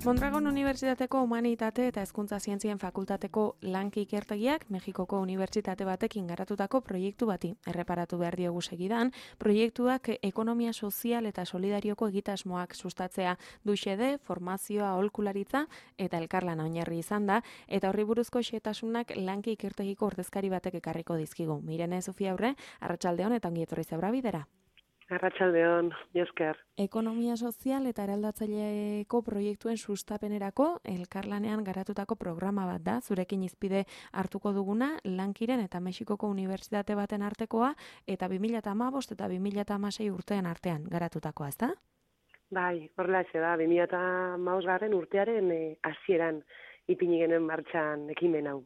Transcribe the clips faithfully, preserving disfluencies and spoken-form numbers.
Mondragon Unibertsitateko Humanitate eta Hezkuntza Zientzien Fakultateko Lanki Ikertegiak Mexikoko unibertsitate batekin garatutako proiektu bati erreparatu behar diogu segidan, proiektuak ekonomia sozial eta solidarioko egitasmoak sustatzea du xede, formazioa, aholkularitza eta elkarlana oinarri izan da, eta horri buruzko xehetasunak Lanki Ikertegiko ordezkari batek ekarriko dizkigu. Mirene Sofia Aurre, arratsaldeon eta ongi etorri zebra bidera. Arratsaldeon, esker. Ekonomia sozial eta eraldatzaileko proiektuen sustapenerako elkarlanean garatutako programa bat da, zurekin izpide hartuko duguna, Lankiren eta Mexikoko Unibertsitate baten artekoa, eta bi mila hamabost eta bi mila hamasei urtean artean garatutakoa, ezta? Bai, horrelaxe da, bi mila hamabost garren urtearen eh, hasieran ipini genuen martxan ekimen hau.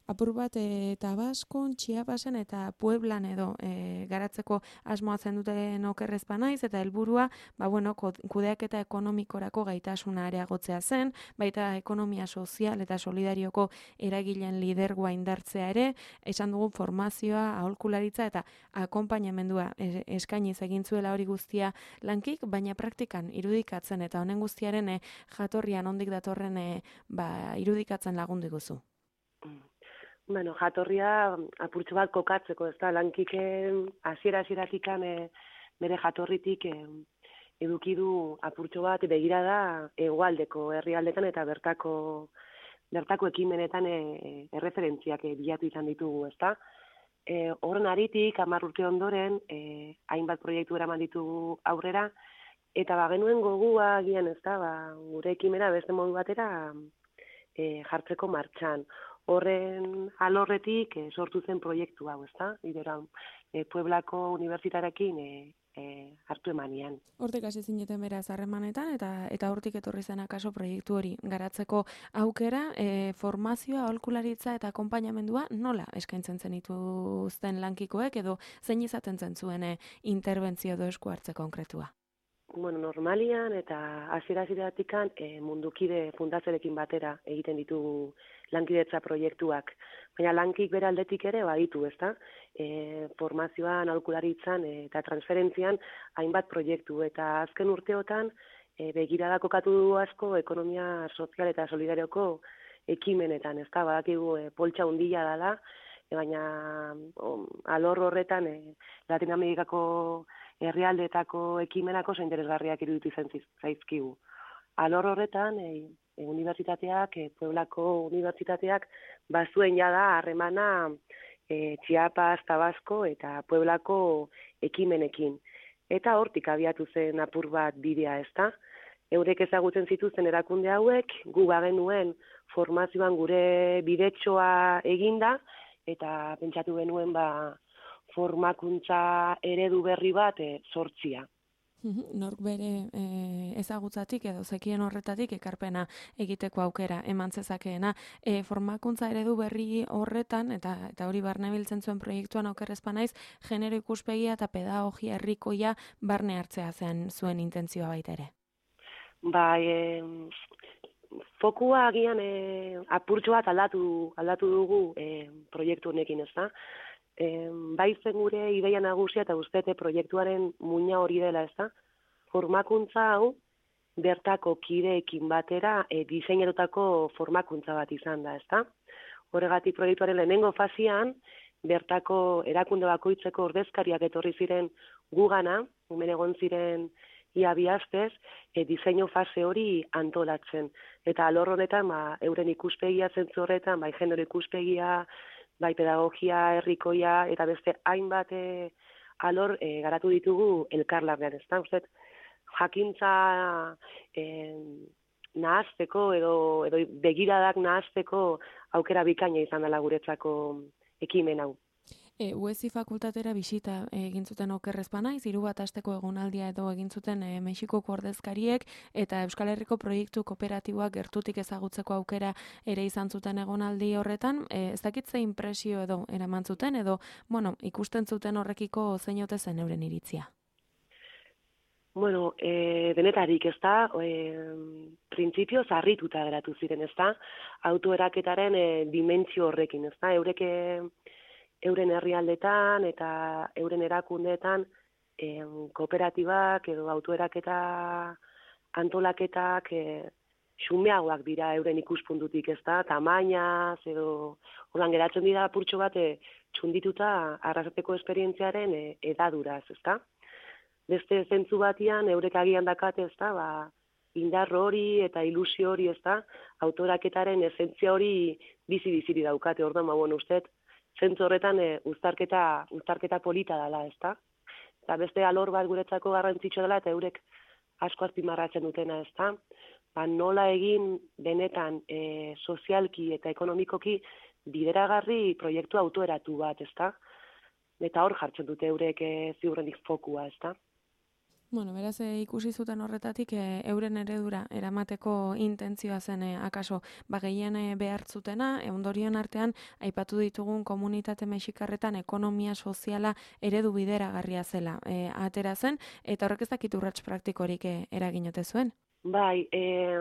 Apur bat e, Tabaskon, Chiapasen eta Pueblan edo e, garatzeko asmoa zen duten okerrezpa naiz, eta helburua, ba bueno, kudeaketa ekonomikorako gaitasuna areagotzea zen, baita ekonomia sozial eta solidarioko eragileen lidergoa indartzea ere, esan dugu formazioa, aholkularitza eta akonpainamendua eskainiz egin zuela hori guztia Lankik, baina praktikan irudikatzen eta honen guztiaren e, jatorrian ondik datorren e, ba, irudikatzen lagundu iguzu. Bueno, jatorria apurtxo bat kokatzeko, ez da, Lankik hasiera-hasieratik e, bere jatorritik e, eduki du apurtxo bat begirada hegoaldeko herrialdetan eta bertako bertako ekimenetan e, erreferentziak e, bilatu izan ditugu, ez da. E, horren aritik, hamar urte ondoren, e, hainbat proiektu eraman ditugu aurrera, eta ba, genuen gogua agian, ez da, ba, gure ekimena beste modu batera e, jartzeko martxan. Horren alorretik e, sortu zen proiektu hau, ezta? Idera, e, Pueblako unibertsitatearekin e, e, hartu emanian. Hortik hasi zineten beraz harremanetan eta eta hortik etorri zen akaso proiektu hori garatzeko aukera, e, formazioa, aholkularitza eta akonpainamendua nola eskaintzen zenituzten Lankikoek edo zein izaten zen zuen e, interbentzio edo esku hartze konkretua? Bueno, normalian eta hasiera-hasieratik e, mundukide fundatzerekin batera egiten ditugu lankidetza proiektuak. Baina Lankik bere aldetik ere baditu, ezta? E, formazioan, aholkularitzan e, eta transferentzian hainbat proiektu eta azken urteotan e, begirada kokatu du asko ekonomia sozial eta solidarioko ekimenetan, ezta? Badakigu e, poltsa handia dela, e, baina o, alor horretan e, Latinoamerikako herrialdeetako ekimenako oso interesgarriak iruditu zen zaizkigu. Alor horretan, e, e, unibertsitateak, e, Pueblako unibertsitateak, bazuen jada harremana e, Chiapas, Tabasko eta Pueblako ekimenekin. Eta hortik abiatu zen apur bat bidea, ezta? Eurek ezagutzen zituzten erakunde hauek, gu bagenuen formazioan gure bidetxoa eginda, eta pentsatu genuen ba, formakuntza eredu berri bat e, sortzia. Nork bere e, ezagutzatik edo zekien horretatik ekarpena egiteko aukera eman zezakeena. E, formakuntza eredu berri horretan, eta eta hori barne biltzen zuen proiektuan okerrezpa naiz, genero ikuspegia eta pedagogia herrikoia barne hartzea zen zuen intentzioa baita ere. Ba, e, fokua agian e, apurtxo bat aldatu, aldatu dugu e, proiektu honekin, ez da? E, bai zen gure ideia nagusia eta ustete proiektuaren muina hori dela, ez da? Formakuntza hau bertako kideekin batera e, diseinatutako formakuntza bat izan da, ez da? Horregatik proiektuaren lehenengo fazian, bertako erakunde bakoitzeko ordezkariak etorri ziren gugana, hemen egon ziren ia bi astez, e, diseinu fase hori antolatzen. Eta alor honetan, ba, euren ikuspegia zentzu horretan, bai genero ikuspegia, bai pedagogia herrikoia eta beste hainbat e, alor e, garatu ditugu elkarlanean, ezta? Uste, jakintza e, nahazteko edo, edo begiradak nahazteko aukera bikaina izan dela guretzako ekimen hau. E, U E S I fakultatera bisita egin zuten okerrezpa naiz, hiru bat asteko egonaldia edo egin zuten e, Mexikoko ordezkariek eta Euskal Herriko proiektu kooperatiboak gertutik ezagutzeko aukera ere izan zuten egonaldi horretan. E, ez dakit ze inpresio edo eraman zuten edo, bueno, ikusten zuten horrekiko zein ote zen euren iritzia? Bueno, e, denetarik, ez da, e, printzipio zarrituta geratu ziren, ez da, autoeraketaren e, dimentsio horrekin, ez da, eureke euren herrialdetan eta euren erakundeetan em, kooperatibak edo autoeraketa antolaketak e, xumeagoak dira euren ikuspuntutik, ez da, tamainaz, edo, ordan geratzen dira apurtxo bat, e, txundituta arrasateko esperientziaren e, edaduraz, ez da. Beste zentzu batian, eurek agian dakate, ez da, ba, indar hori eta ilusio hori, ez da, autoraketaren esentzia hori bizi-biziri daukate, ordan, ba, bueno, uste, zentzu horretan e, uztarketa, uztarketa polita dela, ez da. Eta beste alor bat guretzako garrantzitsua dela, eta eurek asko azpimarratzen dutena, ez da. Ba, nola egin benetan e, sozialki eta ekonomikoki bideragarri proiektu autoeratu bat, ezta? Eta hor jartzen dute eurek e, ziurrenik fokua, ezta? Bueno, beraz, e, ikusi zuten horretatik e, euren eredura eramateko intentzioa zen e, akaso ba, gehien e, behartzutena, e, ondorioen artean aipatu ditugun komunitate mexikarretan ekonomia soziala eredu bideragarria zela e, atera zen, eta horrek ez dakit urrats praktikorik e, eraginote zuen? Bai, e,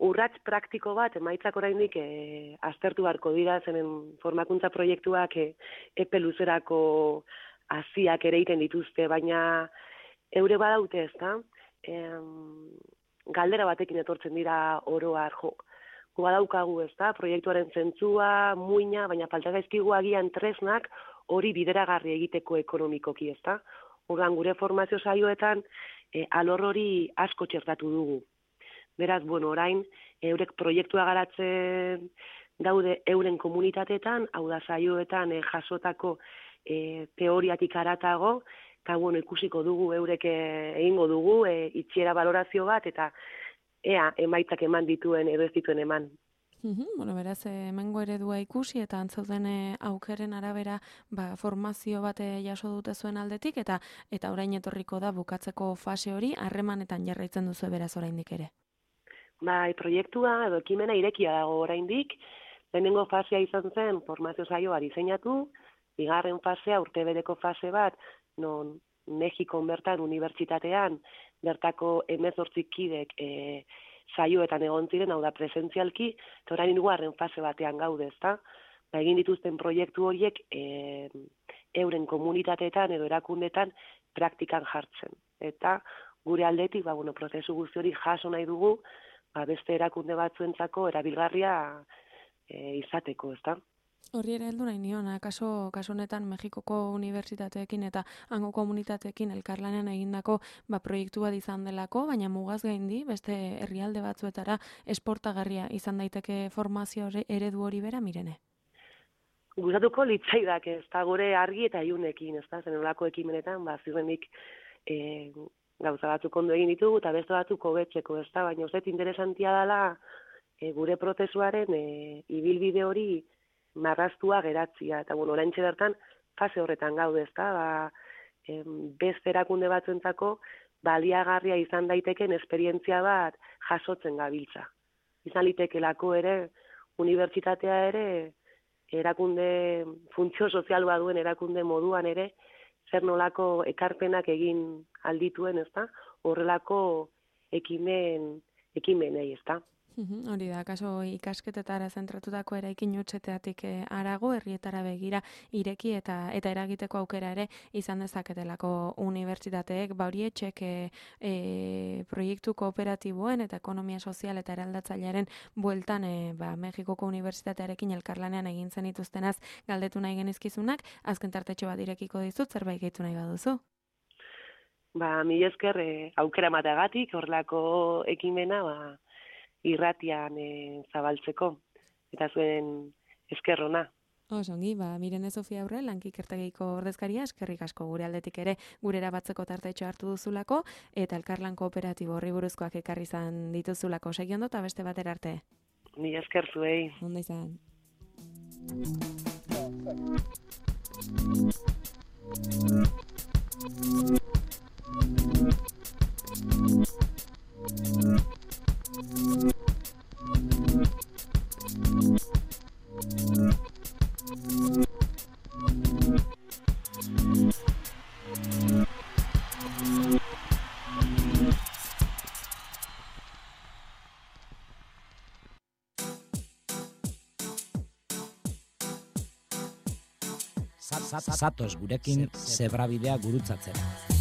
urrats praktiko bat, emaitzak oraindik e, aztertu beharko dira, zenen formakuntza proiektuak e, epe luzerako haziak ere egiten dituzte, baina eure badaute, ezta? E, galdera batekin etortzen dira oroar, jo, gu badaukagu, ezta? Proiektuaren zentzua, muina, baina falta zaizkigu agian tresnak hori bideragarri egiteko ekonomikoki, ezta? Orduan gure formazio saioetan e, alor hori asko txertatu dugu. Beraz, bueno, orain, eurek proiektua garatzen daude euren komunitateetan, hau da saioetan e, jasotako e, teoriatik aratago, eta bueno, ikusiko dugu, eurek e, egingo dugu, e, itxiera valorazio bat, eta ea, emaitzak eman dituen edo ez dituen eman. Uhum, bueno, beraz, hemengo eredua ikusi eta antzauden aukeren arabera ba, formazio bat jaso dute zuen aldetik, eta eta orain etorriko da bukatzeko fase hori, harremanetan jarraitzen duzu beraz oraindik ere. Bai, proiektua edo ekimena irekia dago oraindik. Lehenengo fasea izan zen formazio saioa diseinatu, bigarren fasea urtebeteko fase bat, non Mexikon bertan unibertsitatean bertako hemezortzi kidek e, saioetan egon ziren, hau da presentzialki, eta orain hirugarren fase batean gaude, ezta? Ba, egin dituzten proiektu horiek e, euren komunitateetan edo erakundetan praktikan jartzen. Eta gure aldetik, ba, bueno, prozesu guzti hori jaso nahi dugu, ba, beste erakunde batzuentzako erabilgarria e, izateko, ezta? Horri ere heldu nahi nion, kaso, kaso honetan Mexikoko unibertsitateekin eta hango komunitateekin elkarlanean egindako ba, proiektu bat izan delako, baina mugaz gaindi, beste herrialde batzuetara esportagarria izan daiteke formazio eredu hori bera, Mirene? Gustatuko litzaidak, ez da gure argi eta iunekin, ez da, zen olako ekimenetan, ba, zirenik e, gauza batzuk ondo egin ditugu, eta beste batzuk hobetzeko, ez da, baina uste interesantia dela e, gure prozesuaren e, ibilbide hori marraztua geratzia, eta bueno, oraintxe bertan fase horretan gaude, ez da, ba, e, beste erakunde batzuentzako baliagarria izan daiteken esperientzia bat jasotzen gabiltza. Izan litekelako ere, unibertsitatea ere, erakunde funtzio sozial bat duen erakunde moduan ere, zer nolako ekarpenak egin aldituen, ez da? Horrelako ekimen, ekimenei, ez da? Uhum, hori da, kaso ikasketetara zentratutako eraikin hutseteatik harago, herrietara begira ireki eta eta eragiteko aukera ere izan dezaketelako unibertsitateek, ba hori etxek e, e, proiektu kooperatiboen eta ekonomia sozial eta eraldatzailearen bueltan e, ba, Mexikoko unibertsitatearekin elkarlanean egin zen ituztenaz galdetu nahi genizkizunak, azken tartetxo bat irekiko dizut, zerbait gehitu nahi baduzu? Ba, mi esker e, aukera mateagatik, horrelako ekimena, ba, irratian e, zabaltzeko, eta zuen eskerrona. Osongi, ba, Mirene Sofia Aurre, lankikertegiko ordezkaria, eskerrik asko gure aldetik ere, gurera batzeko tartetxo hartu duzulako, eta elkarlan kooperatibo horri buruzkoak ekarri izan dituzulako. Segi ondo eta beste batera arte. Ni esker zuei. Ondo izan. Zatoz gurekin zebrabidea gurutzatzera.